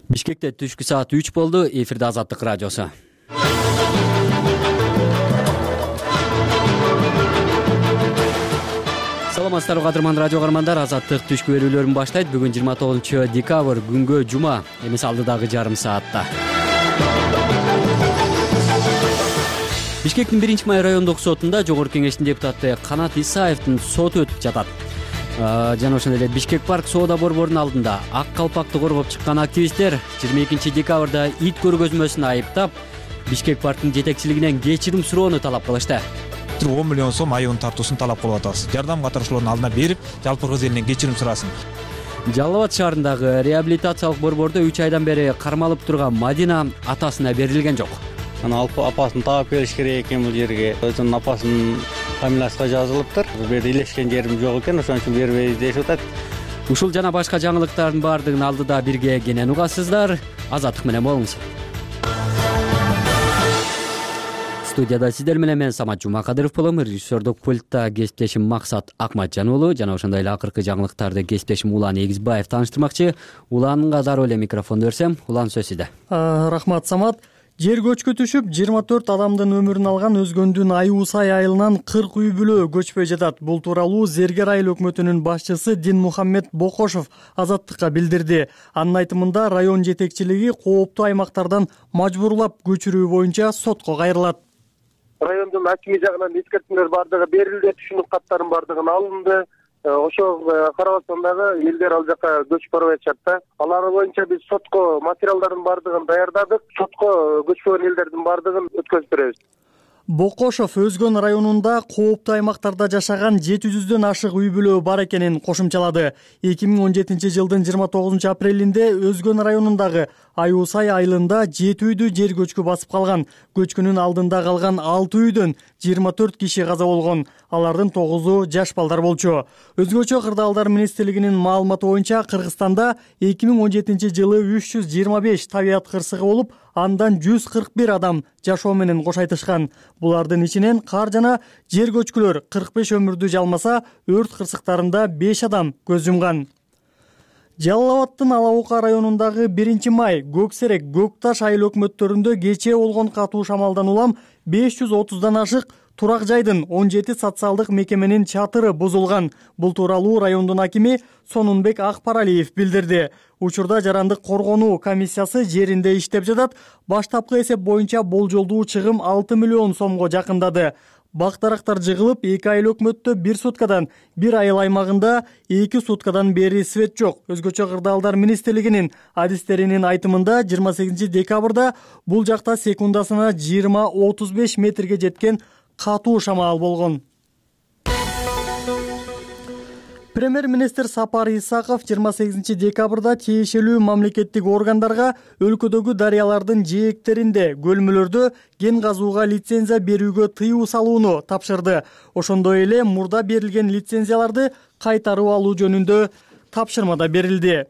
Бишкекте түшкү саат 3 болду. Эфирде Азаттык радиосу. Саламатсыздарбы кадырман радио каармандар. Азаттык түшкү берүүлөрүн баштайт. Бүгүн 29 декабрь күнгө жума. Эмес алдыдагы жарым саатта. Бишкектин 1-май райондук сотунда Жогорку Кеңештин депутаты Канат Исаевдин соту өтүп жатат. Жана ошондой эле Бишкек парк соода борборунун алдында ак калпакты коргоп чыккан активисттер 22 декабрда ит көргөзмөсүн айыптап, Бишкек парктын жетекчилигинен кечирим суроону талап кылышты. 10 миллион сом айыбын тартуусун талап кылып атабыз. Жардам катышуулардын алдына берип, жалпы кыргыз элинен кечирим сурасын. Жалал Абад шаарындагы реабилитациялык борбордо 3 айдан бери кармалып турган Мадина атасына берилген жок. Ана апасын таап келиш керек экен бул жерге. Өзүнүн апасынын фамилиясына жазылыптыр. Бул жерде илешкен жерим жок экен, ошон үчүн бербейбиз дешип атат. Ушул жана башка жаңылыктардын баардыгын алдыда бирге кенен угасыздар. Азаттык менен болуңуз. Студияда сиздер менен мен Самат Жумакадыров болом. Режиссердук пультта кесиптешим Максат Акматжан уулу жана ошондой эле акыркы жаңылыктарды кесиптешим Улан Эгизбаев тааныштырмакчы. Уланга дароо эле микрофонду берсем. Улан, сөз сизде. Рахмат, Самат. Жер көчкү түшүп 24 адамдын өмүрүн алган Өзгөндүн Айуусай айылынан 40 үй бүлө көчпөй жатат. Бул тууралуу Зергер айыл өкмөтүнүн башчысы Динмухаммед Бокошов Азаттыкка билдирди. Анын айтымында район жетекчилиги кооптуу аймактардан мажбурлап көчүрүү боюнча сотко кайрылат. Райондун акими жагынан эскертүүлөр бардыгы берилди, түшүнүк каттардын бардыгын алынды. Ошо карабастан дагы элдер ал жака көчүп барбай атышат да. Алар боюнча биз сотко материалдардын бардыгын даярдадык. Сотко көчпөгөн элдердин бардыгын өткөзүп беребиз. Бокошов Өзгөн районунда кооптуу аймактарда жашаган 700дөн ашык үй бүлө бар экенин кошумчалады. 2017 жылдын 29 апрелинде Өзгөн районундагы Айуусай айылында 7 үйдү жер көчкү басып калган. Көчкүнүн алдында калган 6 үйдөн 24 киши каза болгон. Алардын 9-у жаш балдар болчу. Өзгөчө кырдаалдар министрлигинин маалыматы боюнча Кыргызстанда 2017 жылы 325 табият кырсыгы болуп, андан 141 адам жашоо менен кош айтышкан. Булардын ичинен кар жана жер көчкүлөр 45 өмүрдү жалмаса, өрт кырсыктарында 5 адам көз жумган. Жалал Абадтын Ала Ока районундагы 1-май, Көксерек, Көкташ айыл өкмөттөрүндө кечээ болгон катуу шамалдан улам 530дан ашык турак жайдын 17 социалдык мекеменин чатыры бузулган. Бул тууралуу райондун акими Сонунбек Акпаралиев билдирди. Учурда жарандык коргонуу комиссиясы жеринде иштеп жатат. Баштапкы эсеп боюнча болжолдуу чыгым 6 миллион сомго жакындады. Бак-дарактар жыгылып, 2 айыл өкмөттө 1 суткадан, 1 айыл аймагында 2 суткадан бери свет жок. Өзгөчө кырдаалдар министрлигинин адистеринин айтымында 28 декабрда бул жакта секундасына 20-35 метрге жеткен катуу шамал болгон. Премьер-министр Сапар Исаков 28 декабрда тиешелүү мамлекеттик органдарга өлкөдөгү дарыялардын жээктеринде, көлмөлөрдө кен казууга лицензия берүүгө тыюу салууну тапшырды. Ошондой эле мурда берилген лицензияларды кайтарып алуу жөнүндө тапшырма да берилди.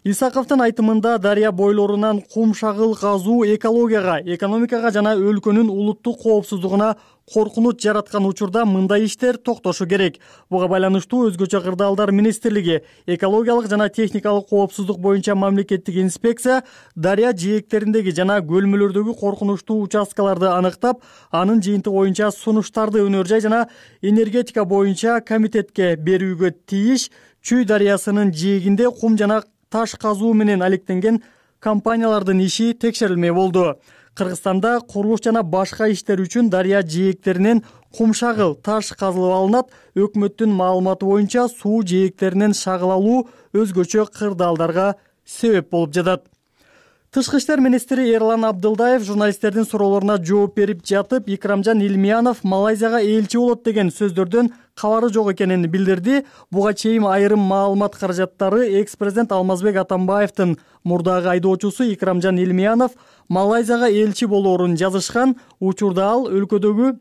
Исаковдун айтымында дарыя бойлорунан кум шагыл казуу экологияга, экономикага жана өлкөнүн улуттук коопсуздугуна коркунуч жараткан учурда мындай иштер токтошу керек. Буга байланыштуу өзгөчө кырдаалдар министрлиги экологиялык жана техникалык коопсуздук боюнча мамлекеттик инспекция дарыя жээктериндеги жана көлмөлөрдөгү коркунучтуу участкаларды аныктап, анын жыйынтыгы боюнча сунуштарды өнөр жай жана энергетика боюнча комитетке берүүгө тийиш. Чүй дарыясынын жээгинде кум жана таш казуу менен алектенген компаниялардын иши текшерилмей болду. Кыргызстанда курулуш жана башка иштер үчүн дарыя жээктеринен кум шагыл, таш казылып алынат. Өкмөттүн маалыматы боюнча суу жээктеринен шагыл алуу өзгөчө кырдаалдарга себеп болуп жатат. Тышкы иштер министри Эрлан Абдылдаев журналисттердин суроолоруна жооп берип жатып, Икрамжан Илмиянов Малайзияга элчи болот деген сөздөрдөн кабары жок экенин билдирди. Буга чейин айрым маалымат каражаттары экс-президент Алмазбек Атамбаевдин мурдагы айдоочусу Икрамжан Илмиянов Малайзияга элчи болоорун жазышкан. Учурда ал өлкөдөгү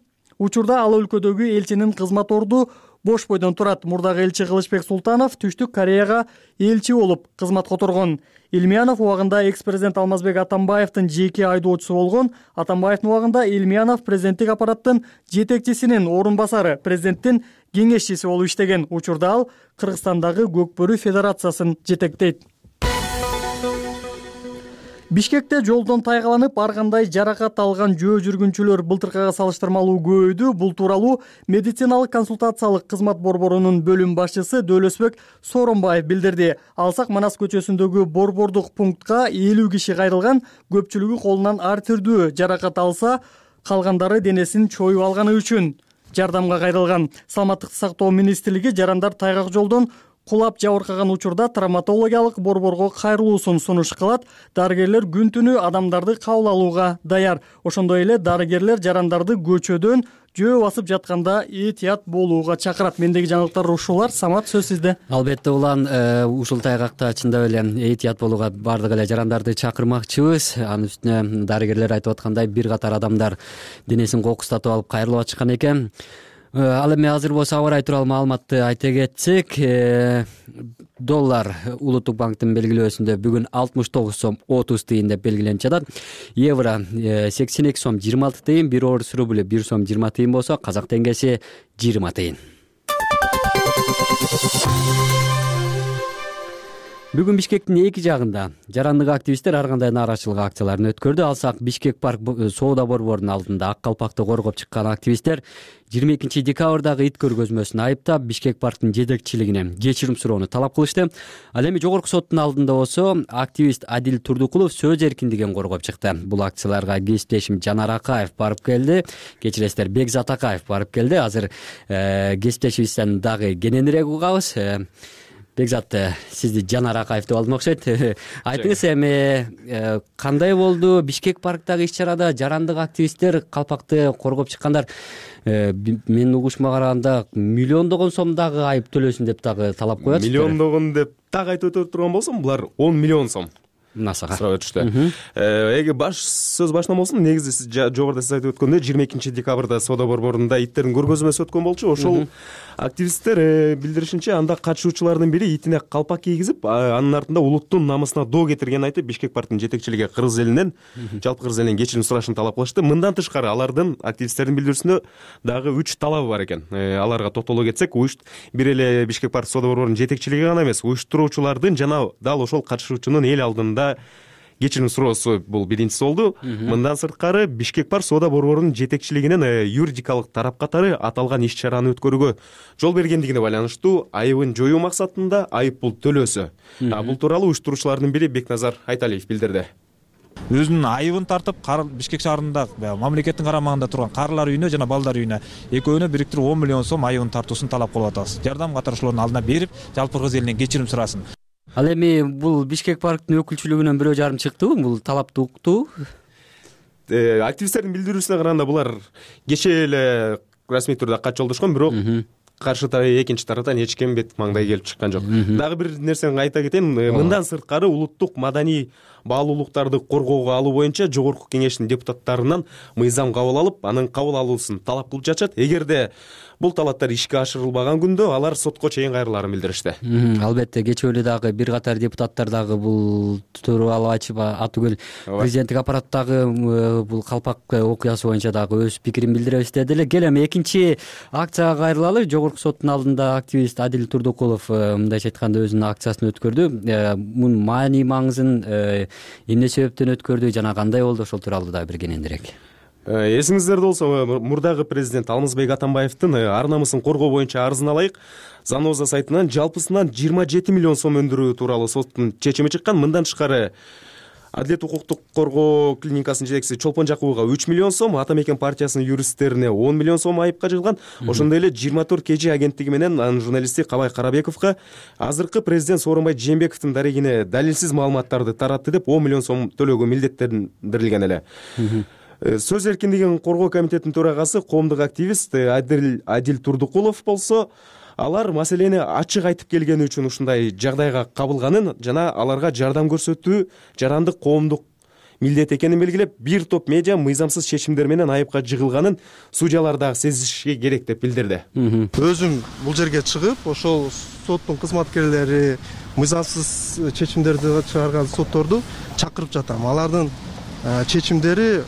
элчинин кызмат орду бош бойдон турат. Мурдагы элчи Кылычбек Султанов Түштүк Кореяга элчи болуп кызмат которгон. Илмиянов убагында экс-президент Алмазбек Атамбаевдин жеке айдоочусу болгон. Атамбаевдин убагында Илмиянов президенттик аппараттын жетекчисинин орун басары, президенттин кеңешчиси болуп иштеген. Учурда ал Кыргызстандагы Көкбөрү федерациясын жетектейт. Бишкекте жолдон тайгаланып ар кандай жаракат алган жөө жүргүнчүлөр былтыркыга салыштырмалуу көбөйдү. Бул тууралуу медициналык консультациялык кызмат борборунун бөлүм башчысы Дөөлөсбек Сооронбаев билдирди. Алсак Манас көчөсүндөгү борбордук пунктка 50 киши кайрылган. Көпчүлүгү колунан ар түрдүү жаракат алса, калгандары денесин чоюп алганы үчүн жардамга кайрылган. Саламаттыкты сактоо министрлиги жарандар тайгак жолдон кулап жабыркаган учурда травматологиялык борборго кайрылуусун сунуш кылат. Дарыгерлер күн түнү адамдарды кабыл алууга даяр. Ошондой эле дарыгерлер жарандарды көчөдөн жөө басып жатканда этият болууга чакырат. Мендеги жаңылыктар ушулар. Самат, сөз сизде. Албетте улан, ушул тайгакта чындап эле этият болууга бардык эле жарандарды чакырмакчыбыз. Анын үстүнө дарыгерлер айтып аткандай бир катар адамдар денесин кокустатып алып кайрылып атышкан экен. Ал эми азыр болсо аба ырайы тууралуу маалыматты айта кетсек, доллар улуттук банктын белгилөөсүндө бүгүн 69 сом 30 тыйын деп белгиленип жатат. Евро 82 сом 26 тыйын, 1 орус рубль 1 сом 20 тыйын болсо, казак теңгеси 20 тыйын. Бүгүн Бишкектин эки жагында жарандык активисттер ар кандай нааразычылык акцияларын өткөрдү. Алсак Бишкек парк соода борборунун алдында ак калпакты коргоп чыккан активисттер 22 декабрдагы ит көргөзмөсүн айыптап, Бишкек парктын жетекчилигине кечирим суроону талап кылышты. Ал эми жогорку соттун алдында болсо активист Адил Турдукулов сөз эркиндигин коргоп чыкты. Бул акцияларга кесиптешим Жанар Акаев барып келди. Кечиресиздер, Бекзат Акаев барып келди. Азыр кесиптешибизден дагы кененирээк угабыз. Бекзат, сизди Жанар Акаев деп алдым окшойт. Айтыңыз, эми кандай болду Бишкек парктагы иш-чарада жарандык активисттер калпакты коргоп чыккандар? Менин угушума караганда миллиондогон сом дагы айып төлөсүн деп дагы талап коет. Миллиондогон деп дагы айтып өтө турган болсом, булар 10 миллион сом насага сурап өтүштү. Эги сөз башынан болсун, негизи сиз жогоруда сиз айтып өткөндөй 22 декабрда соода борборунда иттердин көргөзмөсү өткөн болчу. Ошол активисттер билдиришинче, анда катышуучулардын бири итине калпак кийгизип, анын артында улуттун намысына доо кетиргенин айтып, Бишкек парктын жетекчилиги кыргыз элинен, жалпы кыргыз элинен кечирим сурашын талап кылышты. Мындан тышкары алардын, активисттердин билдирүүсүндө дагы 3 талабы бар экен. Аларга токтоло кетсек, бир эле Бишкек парк соода борборунун жетекчилиги гана эмес, уюштуруучулардын жана дал ошол катышуучунун эл алдында кечирим суроосу бул биринчиси болду. Мындан сырткары Бишкек парк соода борборунун жетекчилигинен юридикалык тарап катары аталган иш-чараны өткөрүүгө жол бергендигине байланыштуу айыбын жоюу максатында айып пул төлөөсү. Бул тууралуу уюштуруучулардын бири Бекназар Айталиев билдирди. Өзүнүн айыбын тартып, Бишкек шаарында мамлекеттин карамагында турган карылар үйүнө жана балдар үйүнө экөөнө бириктирип 10 миллион сом айыбын тартуусун талап кылып атабыз. Жардам катышуулардын алдына берип, жалпы кыргыз элинен кечирим сурасын. Ал эми бул Бишкек парктын өкүлчүлүгүнөн бирөө жарым чыктыбы? Бул талапты укту. Активисттердин билдирүүсүнө караганда булар кечээ эле расмий түрдө кат жолдошкон, бирок каршы экинчи тараптан эч ким бет маңдай келип чыккан жок. Дагы бир нерсени айта кетейин, мындан сырткары улуттук маданий баалуулуктарды коргоого алуу боюнча жогорку кеңештин депутаттарынан мыйзам кабыл алып, анын кабыл алуусун талап кылып жатышат. Эгерде бул талаптар ишке ашырылбаган күндө алар сотко чейин кайрылаарын билдиришти. Албетте, кечээ эле дагы бир катар депутаттар дагы бул тууралуу айтып атүгүл президенттик аппараттагы бул калпак окуясы боюнча дагы өз пикирин билдире иштеди эле. Кел эми экинчи акцияга кайрылалы. Жогорку соттун алдында активист Адил Турдукулов мындайча айтканда өзүнүн акциясын өткөрдү. Мунун маани маңызын эмне себептен өткөрдү жана кандай болду, ошол тууралуу дагы бир кененирээк. Эсиңиздерде болсо, мурдагы президент Алмазбек Атамбаевдин ар намысын коргоо боюнча арызын алайык. Заноза сайтынан жалпысынан 27 миллион сом өндүрүү тууралуу соттун чечими чыккан. Мындан тышкары Адилет укуктук коргоо клиникасынын жетекчиси Чолпон Жакубовго 3 миллион сом, Ата Мекен партиясынын юристтерине 10 миллион сом айыпка жыгылган. Ошондой эле 24 кежи агенттиги менен анын журналисти Кабай Карабековго азыркы президент Сооронбай Жээнбековдун дарегине далилсиз маалыматтарды таратты деп 10 миллион сом төлөөгө милдеттендирилген эле. Сөз эркиндигин коргоо комитетинин төрагасы коомдук активист Адил Турдукулов болсо, алар маселени ачык айтып келгени үчүн ушундай жагдайга кабылганын жана аларга жардам көрсөтүү жарандык коомдук милдет экенин белгилеп, бир топ медиа мыйзамсыз чечимдер менен айыпка жыгылганын судьялар дагы сезиши керек деп билдирди. Өзүм бул жерге чыгып, ошол соттун кызматкерлери мыйзамсыз чечимдерди чыгарган сотторду чакырып жатам. Алардын чечимдери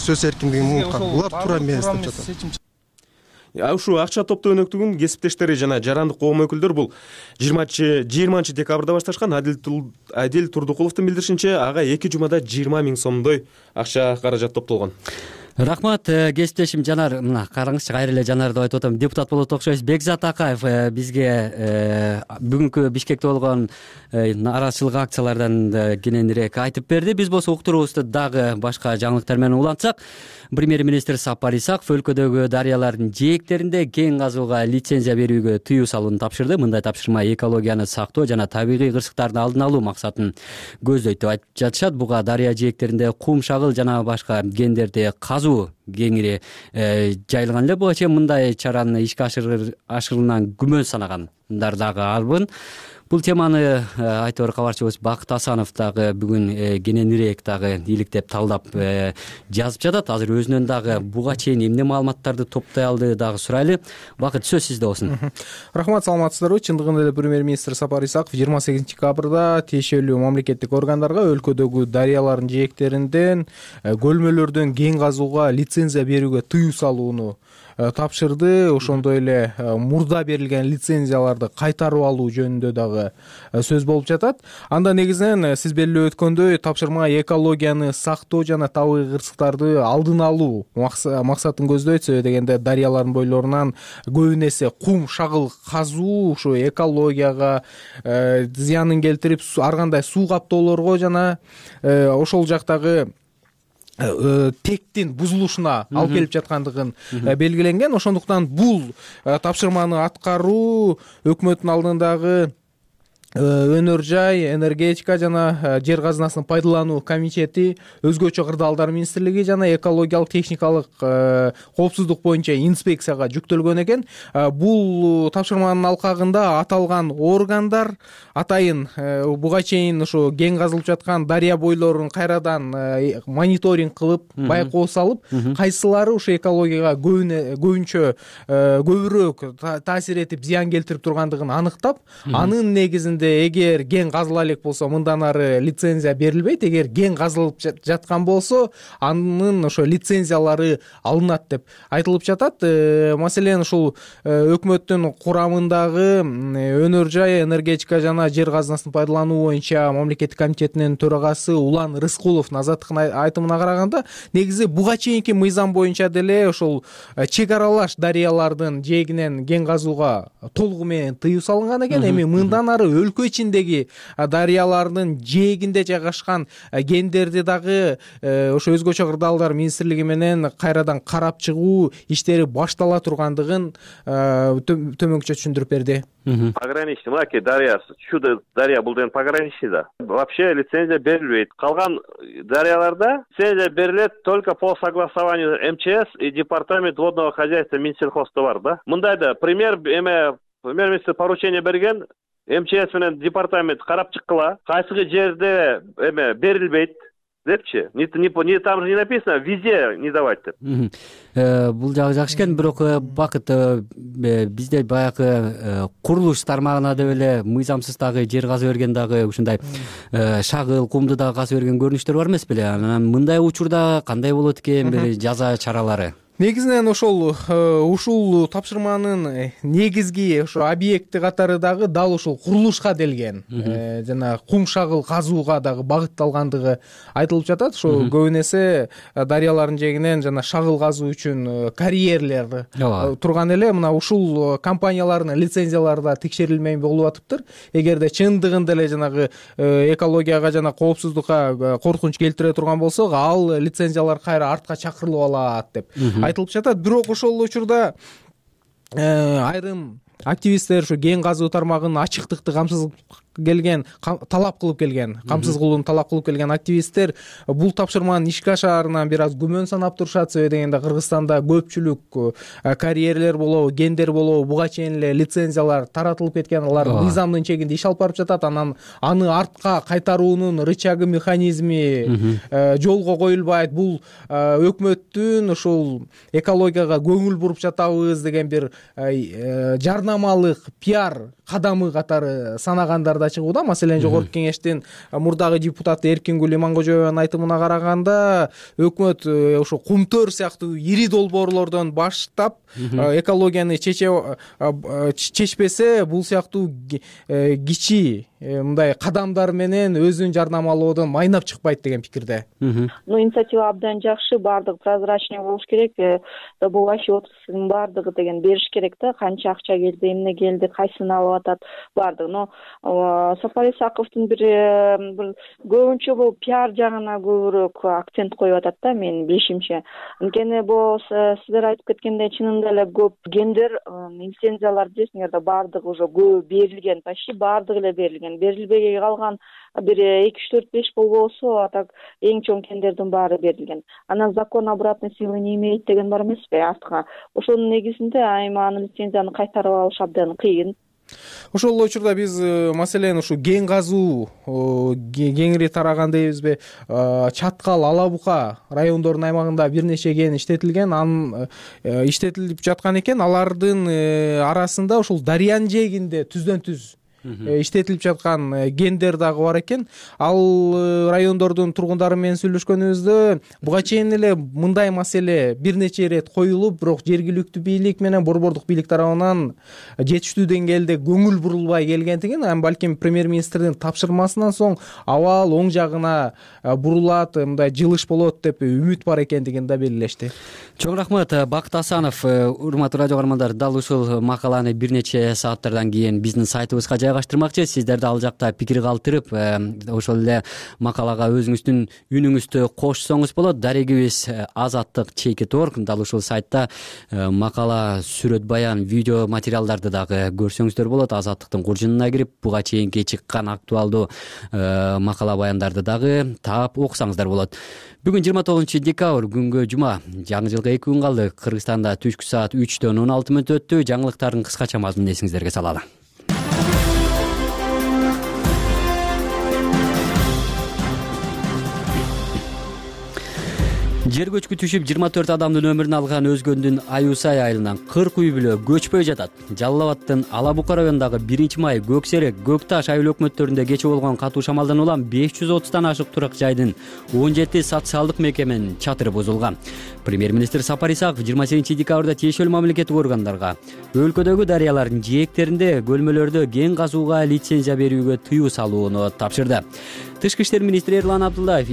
сөз эркиндигин унуткан. Булар туура эмес деп жатам. Ушул акча топтоо өнөктүгүн кесиптештери жана жарандык коом өкүлдөрү бул 20 декабрда башташкан. Адил Турдукуловдун билдиришинче ага 2 жумада 20 000 сомдой акча каражат топтолгон. Рахмат кесиптешим Жанар. Мына караңызчы, кайра эле Жанар деп айтып атам, депутат болот окшойбуз. Бекзат Акаев бизге бүгүнкү Бишкекте болгон нааразычылык акциялардан кененирээк айтып берди. Биз болсо уктуруубузду дагы башка жаңылыктар менен улантсак, премьер-министр Сапар Исаков өлкөдөгү дарыялардын жээктеринде кен казууга лицензия берүүгө тыюу салууну тапшырды. Мындай тапшырма экологияны сактоо жана табигый кырсыктардын алдын алуу максатын көздөйт деп айтып жатышат. Буга дарыя жээктеринде кум, шагыл жана башка кендерди казуу кеңири жайылган эле. Буга чейин мындай чараны ишке ашырылганынан күмөн санагандар дагы арбын. Бул теманы айтор кабарчыбыз Бакыт Асанов дагы бүгүн кененирээк дагы иликтеп талдап жазып жатат. Азыр өзүнөн дагы буга чейин эмне маалыматтарды топтой алды дагы сурайлы. Бакыт, сөз сизде болсун. Рахмат, саламатсыздарбы? Чындыгында эле премьер-министр Сапар Исаков 28 декабрда тиешелүү мамлекеттик органдарга өлкөдөгү дарыялардын жээктеринден көлмөлөрдөн кен казууга лицензия берүүгө тыюу салууну тапшырды. Ошондой эле мурда берилген лицензияларды кайтарып алуу жөнүндө дагы сөз болуп жатат. Анда негизинен сиз белгилеп өткөндөй тапшырма экологияны сактоо жана табигый кырсыктарды алдын алуу максатын көздөйт. Себеби дегенде дарыялардын бойлорунан көбүн эсе кум, шагыл казуу ушу экологияга зыянын келтирип, ар кандай суу каптоолорго жана ошол жактагы тектин бузулушуна алып келип жаткандыгын белгиленген. Ошондуктан бул тапшырманы аткаруу өкмөттүн алдындагы өнөр жай, энергетика жана жер казынасын пайдалануу комитети, өзгөчө кырдаалдар министрлиги жана экологиялык техникалык коопсуздук боюнча инспекцияга жүктөлгөн экен. Бул тапшырманын алкагында аталган органдар атайын буга чейин ушу кен казылып жаткан дарыя бойлорун кайрадан мониторинг кылып, байкоо салып, кайсылары ушу экологияга көбүнчө көбүрөөк таасир этип зыян келтирип тургандыгын аныктап, анын негизинде эгер кен казыла элек болсо мындан ары лицензия берилбейт. Эгер кен казылып жаткан болсо анын ошо лицензиялары алынат деп айтылып жатат. Маселен ушул өкмөттүн курамындагы өнөр жай, энергетика жана жер казынасын пайдалануу боюнча мамлекеттик комитетинин төрагасы Улан Рыскуловдун азаттыктын айтымына караганда, негизи буга чейинки мыйзам боюнча деле ошол чек аралаш дарыялардын жээгинен кен казууга толугу менен тыюу салынган экен. Эми мындан ары өлкө ичиндеги дарыялардын жээгинде жайгашкан кендерди дагы ошо өзгөчө кырдаалдар министрлиги менен кайрадан карап чыгуу иштери баштала тургандыгын төмөнкүчө түшүндүрүп берди. Пограничный, Маки дарья, чудо дарья был деген пограничный да. Вообще лицензия берилбейт. Калган дарьяларда лицензия берилет только по согласованию МЧС и департамент водного хозяйства Минсельхозда бар да. Мындайда премьер-министр поручение берген, МЧС менен департамент карап чыккыла, кайсыгы жерде берилбейт депчи. Там же не написано, везде не давать деп. Бул жагы жакшы экен, бирок Бакыт, бизде баягы курулуш тармагына деп эле мыйзамсыз дагы жер казып берген дагы ушундай шагыл, кумду дагы казып берген көрүнүштөр бар эмес беле? Анан мындай учурда кандай болот экен бир жаза чаралары? Негизинен ушул тапшырманын негизги ошо объекти катары дагы дал ушул курулушка делген жана кум, шагыл казууга дагы багытталгандыгы айтылып жатат. Ошо көбүн эсе дарыялардын жээгинен жана шагыл казуу үчүн карьерлер турган эле. Мына ушул компаниялардын лицензиялары да текшерилмей болуп атыптыр. Эгерде чындыгында эле жанагы экологияга жана коопсуздукка коркунуч келтире турган болсо, ал лицензиялар кайра артка чакырылып алат деп айтылып жатат. Бирок ошол учурда айрым активисттер ушу кен казуу тармагынын ачыктыкты талап кылып келген, камсыз кылууну талап кылып келген активисттер бул тапшырманын ишке ашаарынан бир аз күмөн санап турушат. Себеби дегенде Кыргызстанда көпчүлүк карьерлер болобу, кендер болобу буга чейин эле лицензиялар таратылып кеткен, алар мыйзамдын чегинде иш алып барып жатат. Анан аны артка кайтаруунун рычагы, механизми жолго коюлбайт. Бул өкмөттүн ушул экологияга көңүл буруп жатабыз деген бир жарнамалык пиар кадамы катары санагандар да да чыгууда. Маселен жогорку кеңештин мурдагы депутаты Эркингүл Имангожоеванын айтымына караганда өкмөт ошо Кумтөр сыяктуу ири долбоорлордон баштап экологияны чечпесе бул сыяктуу кичи мындай кадамдар менен өзүн жарнамалоодон майнап чыкпайт деген пикирде. Инициатива абдан жакшы, баардыгы прозрачный болуш керек. Добывающий отрасльдин баардыгы деген бериш керек да, канча акча келди, эмне келди, кайсысын алып атат, баардыгы. Но Сапар Исаковдун бир көбүнчө бул пиар жагына көбүрөөк акцент коюп атат да, менин билишимче. Анткени бул сиздер айтып кеткендей чынында эле көп гендер лицензиялар десеңер да баардыгы уже берилген, почти баардыгы эле берилген. Берилбей калган бир 2-3-4-5 болбосо, а так эң чоң кендердин баары берилген. Анан закон обратной силы не имеет деген бар эмеспи артка. Ошонун негизинде айманы лицензияны кайтарып алыш абдан кыйын. Ошол эле учурда биз маселен ушу кен казуу кеңири тараган дейбизби, Чаткал, Ала Бука райондорунун аймагында бир нече кен иштетилген, анын иштетилип жаткан экен. Алардын арасында ушул Дарыянын жээгинде түздөн-түз иштетилип жаткан кендер дагы бар экен. Ал райондордун тургундары менен сүйлөшкөнүбүздө буга чейин эле мындай маселе бир нече ирет коюлуп, бирок жергиликтүү бийлик менен борбордук бийлик тарабынан жетиштүү деңгээлде көңүл бурулбай келгендигин, балким премьер-министрдин тапшырмасынан соң абал оң жагына бурулат, мындай жылыш болот деп үмүт бар экендигин да белгилешти. Чоң рахмат, Бакыт Асанов. Урматтуу радио каармандар, дал ушул макаланы бир нече сааттардан кийин биздин сайтыбызга жайгаштырмакчы. Сиздерди ал жакта пикир калтырып, ошол эле макалага өзүңүздүн үнүңүздү кошсоңуз болот. Дарегибиз azattik.org, дал ушул сайтта макала, сүрөт баян, видео материалдарды дагы көрсөңүздөр болот. Азаттыктын куржунуна кирип, буга чейинки чыккан актуалдуу макала баяндарды дагы таап окусаңыздар болот. Бүгүн 29 декабрь, күнгө жума. Жаңы жылга 2 күн калды. Кыргызстанда түшкү саат 3:16 өттү. Жаңылыктардын кыскача мазмунун эсиңиздерге салалы. Жер көчкү түшүп 24 адамдын өмүрүн алган Өзгөндүн Аюсай айылынан 40 үй бүлө көчпөй жатат. Жалал Абадтын Ала Бука районундагы 1-май, Көксерек, Көкташ айыл өкмөттөрүндө кече болгон катуу шамалдан улам 530тан ашык турак жайдын 17 социалдык мекеменин чатыры бузулган. Премьер-министр Сапар Исаков 28 декабрда тиешелүү мамлекеттик органдарга өлкөдөгү дарыялардын жээктеринде көлмөлөрдө кен казууга лицензия берүүгө тыюу салууну тапшырды. Тышкы иштер министри Эрлан Абдуллаев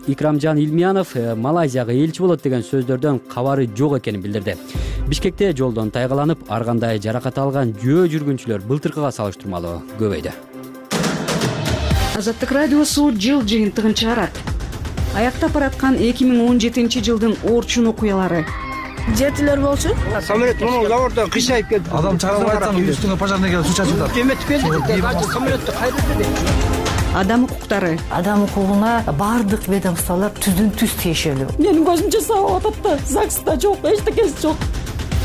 Икрамжан Илмиянов Малайзияга элчи болот деген сөздөрдөн кабары жок экенин билдирди. Бишкекте жолдон тайгаланып, ар кандай жаракат алган жөө жүргүнчүлөр былтыркыга салыштырмалуу көбөйдү. Азаттык радиосу жыл жыйынтыгын чыгарат. Аяктап бараткан 2017 жылдын орчун окуялары. Жетилер болчу. Самолет монун заводдон кыйшайып кетти. Адам чыгарып айтсаң үстүңө пожарный келип суу чачып атат. Кеметип келди. Самолетти кайдырды. Адам укуктары. Адам укугуна бардык ведомстволор түздөн-түз тиешелүү. Менин көзүмчө сабап атат да, ЗАГСта жок, эчтекеси жок.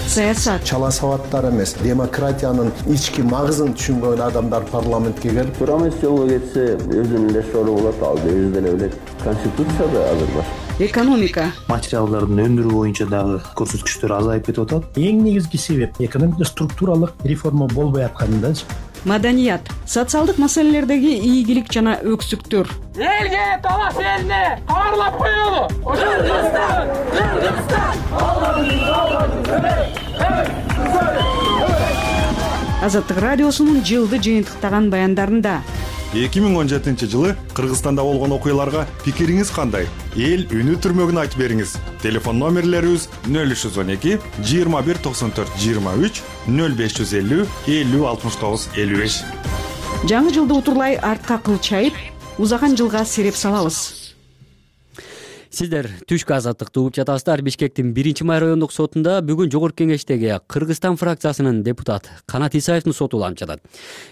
Саясат. Чала сабаттар эмес, демократиянын ички магызын түшүнгөн адамдар парламентке келип, турамыз жолго кетсе өзүнүн эле сору болот, ал өзү деле билет. Конституцияда азыр бар. Экономика. Материалдардын өндүрүү боюнча дагы көрсөткүчтөр азайып кетип атат. Эң негизги себеп экономикада структуралык реформа болбой атканындачы. Маданият. Социалдык маселелердеги ийгилик жана өксүктөр. Элге талаш элине кабарлап коелу. Азаттык радиосунун жылды жыйынтыктаган баяндарында 2017 жылы Кыргызстанда болгон окуяларга пикириңиз кандай? Эл үнү түрмөгүн айтып бериңиз. Телефон номерлерибиз 0312 21 94 23 0550 50 69 55. Жаңы жылды утурлай артка кылчайып, узаган жылга сереп салабыз. Сиздер түшкү азаттыкты угуп жатасыздар. Бишкектин 1-май райондук сотунда бүгүн жогорку кеңештеги Кыргызстан фракциясынын депутат Канат Исаевдин соту уланып жатат.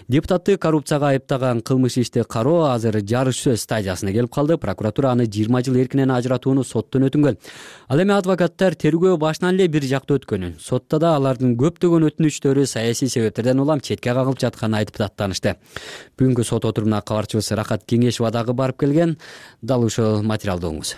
Депутатты коррупцияга айыптаган кылмыш ишти кароо азыр жарыш сөз стадиясына келип калды. Прокуратура аны 20 жыл эркинен ажыратууну соттон өтүнгөн. Ал эми адвокаттар тергөө башынан эле бир жакта өткөнүн, сотто да алардын көптөгөн өтүнүчтөрү саясий себептерден улам четке кагылып жатканын айтып даттанышты. Бүгүнкү сот отурумуна кабарчыбыз Рахат Кеңешова дагы барып келген. Дал ушул материалды оңуз.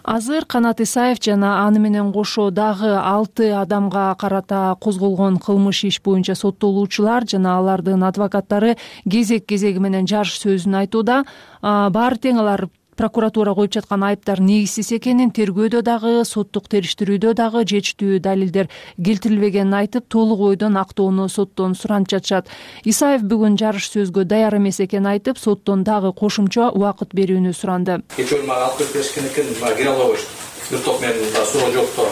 Азыр Канат Исаев жана аны менен кошо дагы 6 адамга карата козголгон кылмыш иш боюнча соттолуучулар жана алардын адвокаттары кезек-кезеги менен жарыш сөзүн айтууда. Баары тең алар прокуратура коюп жаткан айыптар негизсиз экенин, тергөөдө дагы, соттук териштирүүдө дагы жетиштүү далилдер келтирилбегенин айтып, толук ойдон актоону соттон суранып жатышат. Исаев бүгүн жарыш сөзгө даяр эмес экенин айтып, соттон дагы кошумча убакыт берүүнү суранды. Кечээ мага алып келип беришкен экен, кире албайбыз. Бир топ менин суу жокто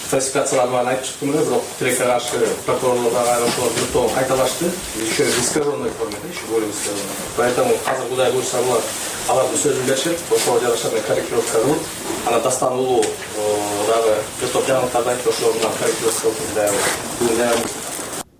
фальсификацияларды айтып чыктым эле, бирок тилекке каршы прокурорлордогу айрымчылар бир топ кайталашты. Еще в искаженной форме, еще более искаженной. Поэтому азыр Кудай буйрса булар алардын сөзүн беришет, ошого жараша корректировка кылып, анан дастан улуу дагы бир топ жаңылыктарды айтып, ошого корректировка кылып.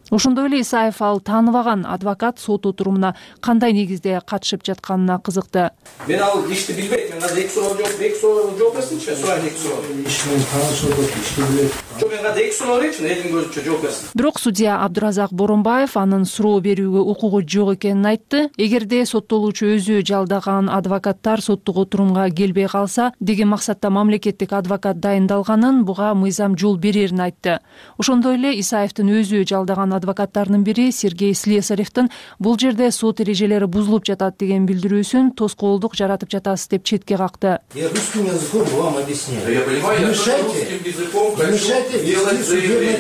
Ошондой эле Исаев ал тааныбаган адвокат сот отурумуна кандай негизде катышып жатканына кызыкты. Мен ал ишти билбейм. Мен азыр 2 суроо жооп берсинчи, сурайын 2 суроо. Ишин таанышып ишти билет. Жок, мен азыр 2 суроо берейинчи, элдин көзүнчө жооп берсин. Бирок судья Абдуразак Боронбаев анын суроо берүүгө укугу жок экенин айтты. Эгерде соттолуучу өзү жалдаган адвокаттар соттук отурумга келбей калса, деген максатта мамлекеттик адвокат дайындалганын, буга мыйзам жол берерин айтты. Ошондой эле Исаевдин өзү жалдаган адвокаттардын бири Сергей Слесаревдин бул жерде сот эрежелери бузулуп жатат деген билдирүүсүн тоскоолдук жаратып жатасыз деп четке какты. Я русским языком вам объясняю. Я понимаю, я русским языком хочу делать заявление.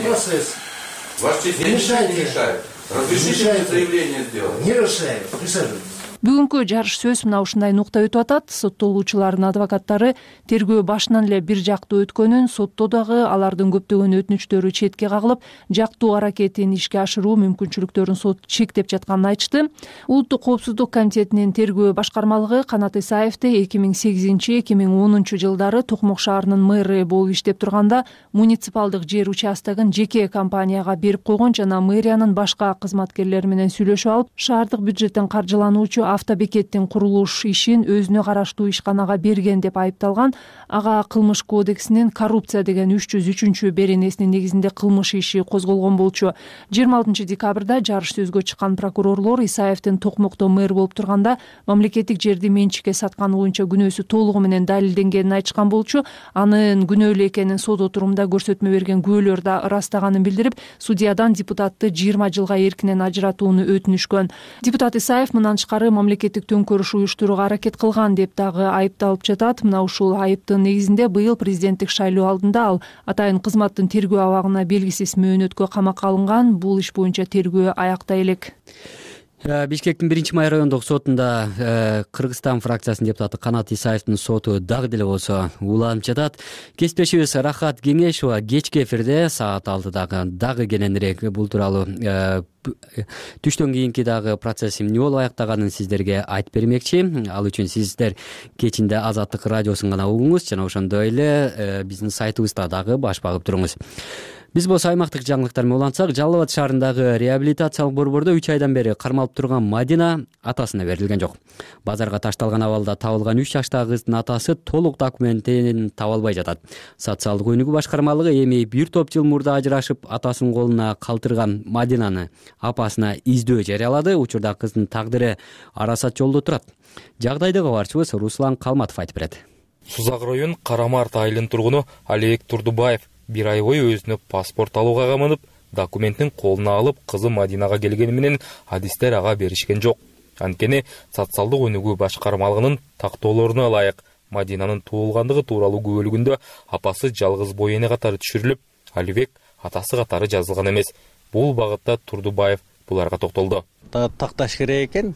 Не мешайте. Разрешите заявление сделать. Не решаю. Присаживайтесь. Бүгүнкү жарыш сөз мына ушундай нукта өтүп атат. Соттолуучулардын адвокаттары тергөө башынан эле бир жактуу өткөнүн, сотто дагы алардын көптөгөн өтүнүчтөрү четке кагылып, жактуу аракетин ишке ашыруу мүмкүнчүлүктөрүн сот чектеп жатканын айтышты. Улуттук коопсуздук комитетинин тергөө башкармалыгы Канат Исаевди 2008-2010 жылдары Токмок шаарынын мэры болуп иштеп турганда муниципалдык жер участогун жеке компанияга берип койгон жана мэриянын башка кызматкерлери менен сүйлөшүп алып, шаардык бюджеттен каржылануучу автобекеттин курулуш ишин өзүнө караштуу ишканага берген деп айыпталган. Ага кылмыш кодексинин коррупция деген 303 беренесинин негизинде кылмыш иши козголгон болчу. 26 декабрда жарыш сөзгө чыккан прокурорлор Исаевдин Токмокто мэр болуп турганда мамлекеттик жерди менчикке сатканы боюнча күнөөсү толугу менен далилденгенин айтышкан болчу. Анын күнөөлүү экенин сот отурумда көрсөтмө берген күбөлөр да ырастаганын билдирип, судьядан депутатты 20 жылга эркинен ажыратууну өтүнүшкөн. Депутат Исаев мындан тышкары мамлекеттик төңкөрүш уюштурууга аракет кылган деп дагы айыпталып жатат. Мына ушул айыптын негизинде быйыл президенттик шайлоо алдында ал атайын кызматтын тергөө абагына белгисиз мөөнөткө камакка алынган. Бул иш боюнча тергөө аякта элек. Бишкектин 1-май райондук сотунда Кыргызстан фракциясынын депутаты Канат Исаевдин соту дагы деле болсо уланып жатат. Кесиптешибиз Рахат Кеңешова кечки эфирде саат 6-дагы дагы кененирээк бул тууралуу түштөн кийинки дагы процесс эмне болуп аяктаганын сиздерге айтып бермекчи. Ал үчүн сиздер кечинде Азаттык радиосун гана угуңуз жана ошондой эле биздин сайтыбызда дагы баш багып туруңуз. Биз болсо аймактык жаңылыктар менен улантсак, Жалал Абад шаарындагы реабилитациялык борбордо 3 айдан бери кармалып турган Мадина атасына берилген жок. Базарга ташталган абалда табылган 3 жаштагы кыздын атасы толук документин таба албай жатат. Социалдык өнүгүү башкармалыгы эми бир топ жыл мурда ажырашып, атасынын колуна калтырган Мадинаны апасына издөө жарыялады. Учурда кыздын тагдыры арасат жолдо турат. Жагдайды кабарчыбыз Руслан Калматов айтып берет. Сузак район Карамарт айылынын тургуну Алибек Турдубаев бир ай бою өзүнө паспорт алууга камынып, документтин колуна алып, кызы Мадинага келгени менен адистер ага беришкен жок. Анткени социалдык өнүгүү башкармалыгынын тактоолоруна ылайык Мадинанын туулгандыгы тууралуу күбөлүгүндө апасы жалгыз бой эне катары түшүрүлүп, Алибек атасы катары жазылган эмес. Бул багытта Турдубаев буларга токтолду. Такташ керек экен,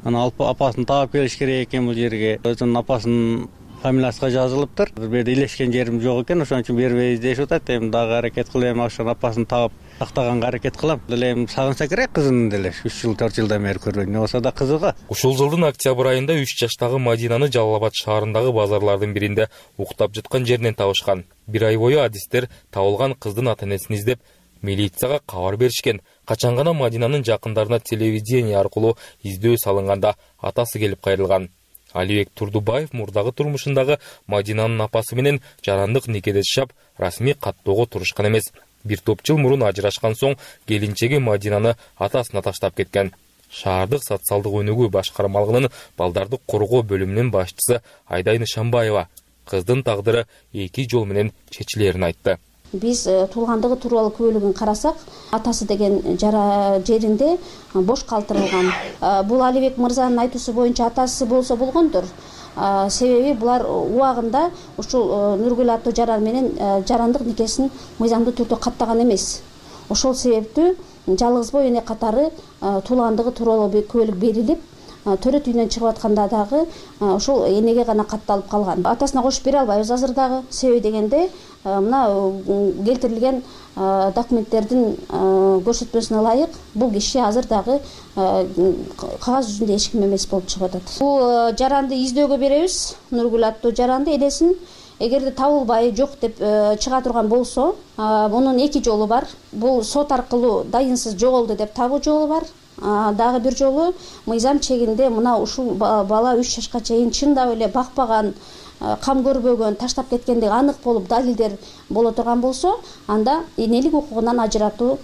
анан апасын таап келиш керек экен бул жерге. Өзүнүн апасынын фамилиясына жазылыптыр. Бир жерде илешкен жерим жок экен, ошон үчүн бербейбиз дешип атат. Эми дагы аракет кылам, ошонун апасын таап тактаганга аракет кылам. Деле сагынса керек кызын деле. 3 жыл 4 жылдан бери көрбөйм. Не болсо да кызыга. Ушул жылдын октябрь айында 3 жаштагы Мадинаны Жалал Абад шаарындагы базарлардын биринде уктап жаткан жеринен табышкан. Бир ай бою адистер табылган кыздын ата-энесин издеп, милицияга кабар беришкен. Качан гана Мадинанын жакындарына телевидение аркылуу издөө салынганда атасы келип кайрылган. Алибек Турдубаев мурдагы турмушундагы Мадинанын апасы менен жарандык никеде жашап, расмий каттоого турушкан эмес. Бир топ жыл мурун ажырашкан соң келинчеги Мадинаны атасына таштап кеткен. Шаардык социалдык өнүгүү башкармалыгынын балдарды коргоо бөлүмүнүн башчысы Айдай Нышанбаева кыздын тагдыры 2 жол менен чечилерин айтты. Биз туулгандыгы тууралуу күбөлүгүн карасак, атасы деген жеринде бош калтырылган. Бул Алибек мырзанын айтуусу боюнча атасы болсо болгондур. Себеби булар убагында ушул Нургүл аттуу жаран менен жарандык никесин мыйзамдуу түрдө каттаган эмес. Ошол себептүү жалгызбой эне катары туулгандыгы тууралуу күбөлүк берилип, төрөт үйүнөн чыгып атканда дагы ошол энеге гана катталып калган. Атасына кошуп бере албайбыз азыр дагы. Себеби дегенде мына келтирилген документтердин көрсөтмөсүнө ылайык бул киши азыр дагы кагаз жүзүндө эч ким эмес болуп чыгып атат. Бул жаранды издөөгө беребиз. Нургүл аттуу жаранды энесин эгерде табылбай жок деп чыга турган болсо, мунун 2 жолу бар. Бул сот аркылуу дайынсыз жоголду деп табуу жолу бар. Дагы бир жолу мыйзам чегинде мына ушул бала 3 жашка чейин чындап эле бакпаган, кам көрбөгөн, таштап кеткендиги анык болуп далилдер боло турган болсо, анда энелик укугунан ажыратуу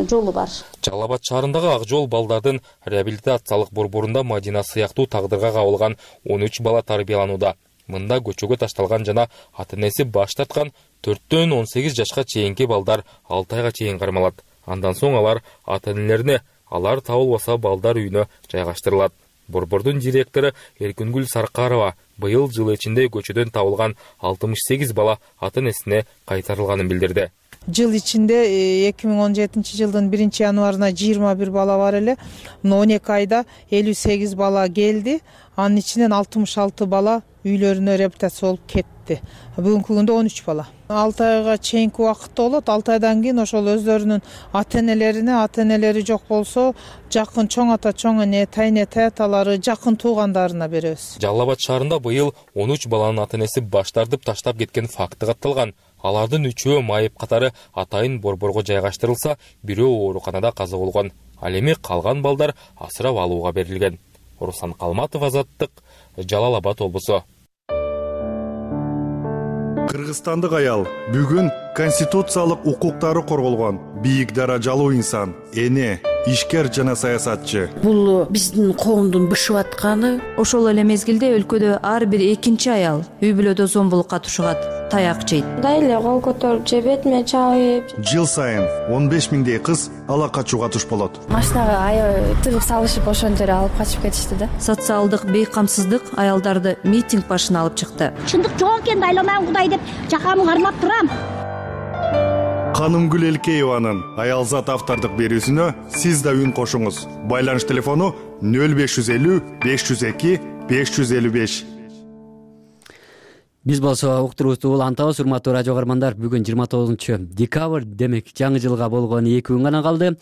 жолу бар. Жалал Абад шаарындагы Ак жол балдардын реабилитациялык борборунда Мадина сыяктуу тагдырга кабылган 13 бала тарбияланууда. Мында көчөгө ташталган жана ата-энеси баш тарткан 4-төн 18 жашка чейинки балдар 6 айга чейин кармалат. Андан соң алар ата-энелерине, алар табылбаса балдар үйүнө жайгаштырылат. Борбордун директору Эркүнгүл Саркарова быйыл жыл ичинде көчөдөн табылган 68 бала ата-энесине кайтарылганын билдирди. Жыл ичинде 2017 жылдын 1-январына 21 бала бар эле. 12 айда 58 бала келди. Анын ичинен 66 бала үйлөрүнө реабилитация болуп кетти. Бүгүнкү күндө 13 бала. 6 айга чейинки убакытта болот. 6 айдан кийин ошол өздөрүнүн ата-энелери жок болсо, жакын чоң ата, чоң эне, тайне таталары, жакын туугандарына беребиз. Жалал Абад шаарында быйыл 13 баланын ата-энеси баш тартып таштап кеткен факты катталган. Алардын 3-өө майып катары атайын борборго жайгаштырылса, бирөө ооруканада каза болгон. Ал эми калган балдар асырап алууга берилген. Руслан Калматов, Азаттык, Жалал Абад облусу. Кыргызстандык аял бүгүн конституциялык укуктары корголгон бийик даражалуу инсан, эне, ишкер жана саясатчы. Бул биздин коомдун бышып атканы. Ошол эле мезгилде өлкөдө ар бир экинчи аял үй бүлөдө зомбулукка тушугат, таяк жейт. Мындай эле кол көтөрүп же бетиме чабып. Жыл сайын 15 миңдей кыз ала качууга туш болот. Машинага тыгып салышып ошон жерге алып качып кетишти да. Социалдык бейкамсыздык аялдарды митинг башына алып чыкты. Чындык жок экенди айланам Кудай деп жакамды кармап турам. Канымгүл Элкееванын Аялзат автордук берүүсүнө сиз да үн кошуңуз. Байланыш телефону 0550 502 555. Биз болсо уктуруубузду улантабыз, урматтуу радио каармандар. Бүгүн 29 декабрь, демек жаңы жылга болгон 2 күн гана калды.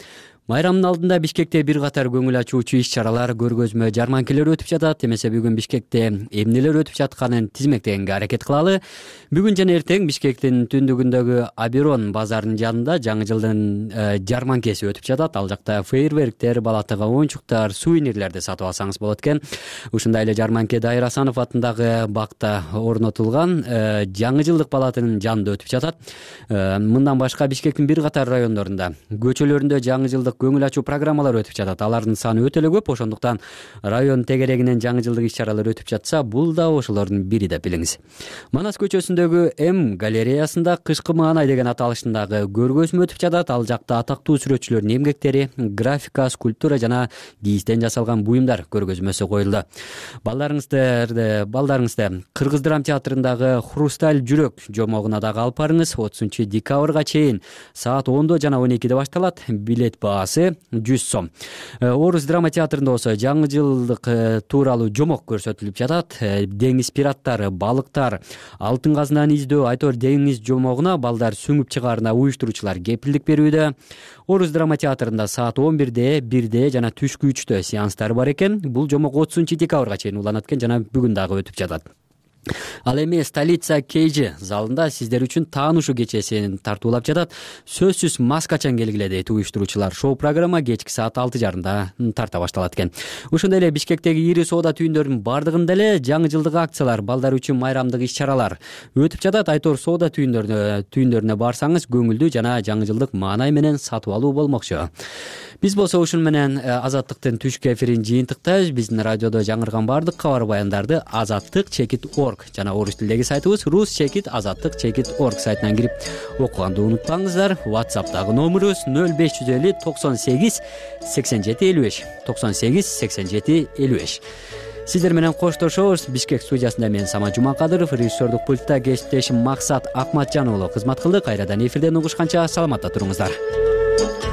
Майрамдын алдында Бишкекте бир катар көңүл ачуучу иш-чаралар, көргөзмө, жарманкелер өтүп жатат. Эмесе бүгүн Бишкекте эмнелер өтүп жатканын тизмектегенге аракет кылалы. Бүгүн жана эртең Бишкектин түндүгүндөгү Аберон базарынын жанында жаңы жылдын жарманкеси өтүп жатат. Ал жакта фейерверктер, балатага оюнчуктар, сувенирлерди сатып алсаңыз болот экен. Ушундай эле жарманке Дайыр Асанов атындагы бакта орнотулган жаңы жылдык палатынын жанында өтүп жатат. Мындан башка Бишкектин бир катар райондорунда, көчөлөрүндө жаңы жылдык көңүл ачуу программалар өтүп жатат. Алардын саны өтө эле көп, ошондуктан район тегерегинен жаңы жылдык иш-чаралар өтүп жатса, бул да ошолордун бири деп билиңиз. Манас көчөсүндөгү М галереясында кышкы маанай деген аталыштагы көргөзмө өтүп жатат. Ал жакта атактуу сүрөтчүлөрдүн эмгектери, графика, скульптура жана кийизден жасалган буюмдар көргөзмөсү коюлду. Балдарыңызды Кыргыз драма театрындагы Хрусталь жүрөк жомогуна дагы алып барыңыз. 30 декабрга чейин саат 10 жана 12 башталат. Билет баасы 100 сом. Орус драма театрында болсо жаңы жылдык тууралуу жомок көрсөтүлүп жатат. Деңиз пираттары, балыктар, алтын казынаны издөө, айтор деңиз жомогуна балдар сүңүп чыгаарына уюштуруучулар кепилдик берүүдө. Орус драма театрында саат 11 1 жана түшкү 3 сеанстар бар экен. Бул жомок 30 декабрга чейин уланат экен жана бүгүн дагы өтүп жатат. Ал эми Столица KG залында сиздер үчүн таанышуу кечесин тартуулап жатат. Сөзсүз мас качан келгиле дейт уюштуруучулар. Шоу программа кечки саат 6:30 тарта башталат экен. Ошондой эле Бишкектеги ири соода түйүндөрүнүн бардыгында эле жаңы жылдык акциялар, балдар үчүн майрамдык иш-чаралар өтүп жатат. Айтор соода түйүндөрүнө барсаңыз көңүлдүү жана жаңы жылдык маанай менен сатып алуу болмокчу. Биз болсо ушун менен Азаттыктын түшкү эфирин жыйынтыктайбыз. Биздин радиодо жаңырган бардык кабар баяндарды Азаттык / chekit.org жана орус тилдеги сайтыбыз rus-azattik.org сайтынан кирип окуганды унутпаңыздар. WhatsApp'тагы номерибиз 0550 98 87 55 98 87 55. Сиздер менен коштошобуз. Бишкек студиясында мен Самат Жумакадыров, режиссердук пультта кесиптешим Максат Акматжан уулу кызмат кылды. Кайрадан эфирден угушканча саламатта туруңуздар.